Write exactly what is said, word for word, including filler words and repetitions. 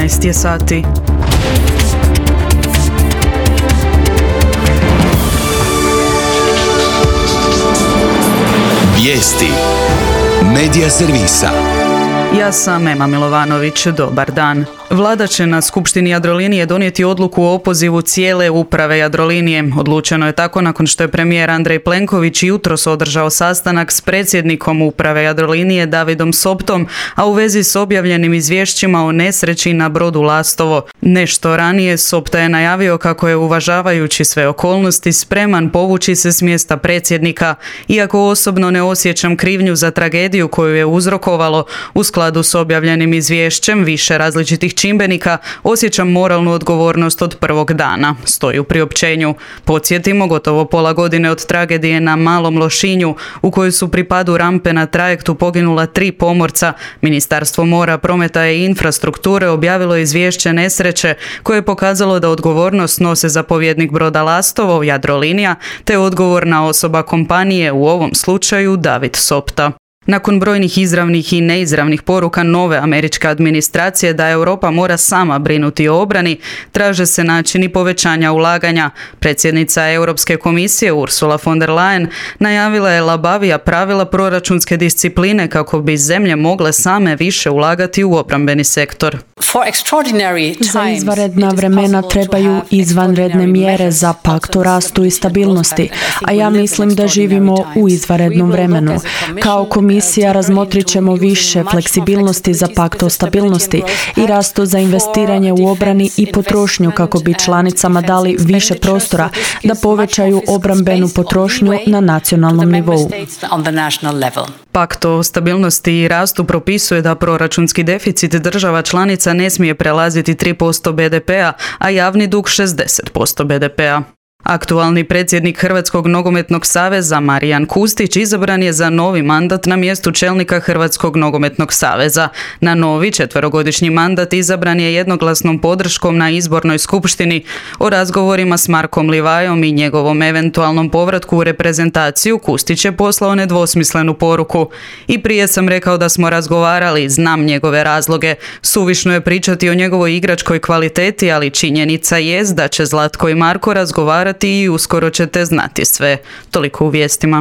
trinaest je sati. Vijesti Medija servisa. Ja sam Ema Milovanović, dobar dan. Vlada će na Skupštini Jadrolinije donijeti odluku o opozivu cijele uprave Jadrolinije. Odlučeno je tako nakon što je premijer Andrej Plenković jutros održao sastanak s predsjednikom uprave Jadrolinije Davidom Soptom, a u vezi s objavljenim izvješćima o nesreći na brodu Lastovo. Nešto ranije Sopta je najavio kako je, uvažavajući sve okolnosti, spreman povući se s mjesta predsjednika. Iako osobno ne osjećam krivnju za tragediju koju je uzrokovalo, u skladu s objavljenim izvješćem više različitih čimbenika, osjećam moralnu odgovornost od prvog dana, stoji u priopćenju. Podsjetimo, gotovo pola godine od tragedije na Malom Lošinju, u kojoj su pri padu rampe na trajektu poginula tri pomorca, Ministarstvo mora, prometa i infrastrukture objavilo izvješće nesreće koje je pokazalo da odgovornost nose zapovjednik broda Lastovo, Jadrolinija, te odgovorna osoba kompanije, u ovom slučaju David Sopta. Nakon brojnih izravnih i neizravnih poruka nove američke administracije da Europa mora sama brinuti o obrani, traže se načini povećanja ulaganja. Predsjednica Europske komisije Ursula von der Leyen najavila je labavija pravila proračunske discipline kako bi zemlje mogle same više ulagati u obrambeni sektor. Za izvanredna vremena trebaju izvanredne mjere za pakt o rastu i stabilnosti, a ja mislim da živimo u izvanrednom vremenu. Kao komisija razmotrit ćemo više fleksibilnosti za pakt o stabilnosti i rastu za investiranje u obrani i potrošnju kako bi članicama dali više prostora da povećaju obrambenu potrošnju na nacionalnom nivou. Pakt o stabilnosti i rastu propisuje da proračunski deficit država članica ne smije prelaziti tri posto be de pea, a javni dug šezdeset posto be de pea. Aktualni predsjednik Hrvatskog nogometnog saveza Marijan Kustić izabran je za novi mandat na mjestu čelnika Hrvatskog nogometnog saveza. Na novi četverogodišnji mandat izabran je jednoglasnom podrškom na izbornoj skupštini. O razgovorima s Markom Livajom i njegovom eventualnom povratku u reprezentaciju Kustić je poslao nedvosmislenu poruku. I prije sam rekao da smo razgovarali, znam njegove razloge. Suvišno je pričati o njegovoj igračkoj kvaliteti, ali činjenica jest da će Zlatko i Marko razgovarati i uskoro ćete znati sve. Toliko u vijestima.